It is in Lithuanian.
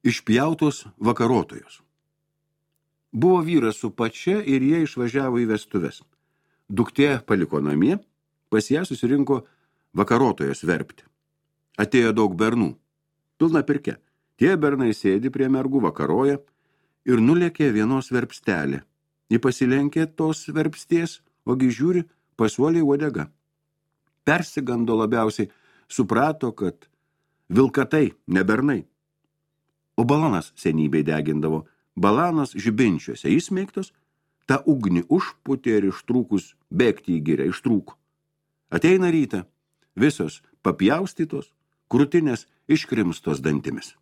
Išpjautos vakarotojos. Buvo vyras su pačia ir jie išvažiavo į vestuves. Duktė paliko namie, pas ją susirinko vakarotojas verpti. Atėjo daug bernų, pilna pirke. Tie bernai sėdi prie mergų, vakaroja ir nulėkė vienos verpstelė. Ji pasilenkė tos verpsties, ogi žiūri, pasuoliai uodega. Persigando labiausiai, suprato, kad vilkatai, ne bernai. O balonas senybei degindavo, balanas žibinčiuose įsmeigtos, tą ugnį užputė ir ištrūkus bėgti į girią, ištrūko. Ateina rytą, visos papjaustytos, krūtinės iškrimstos dantimis.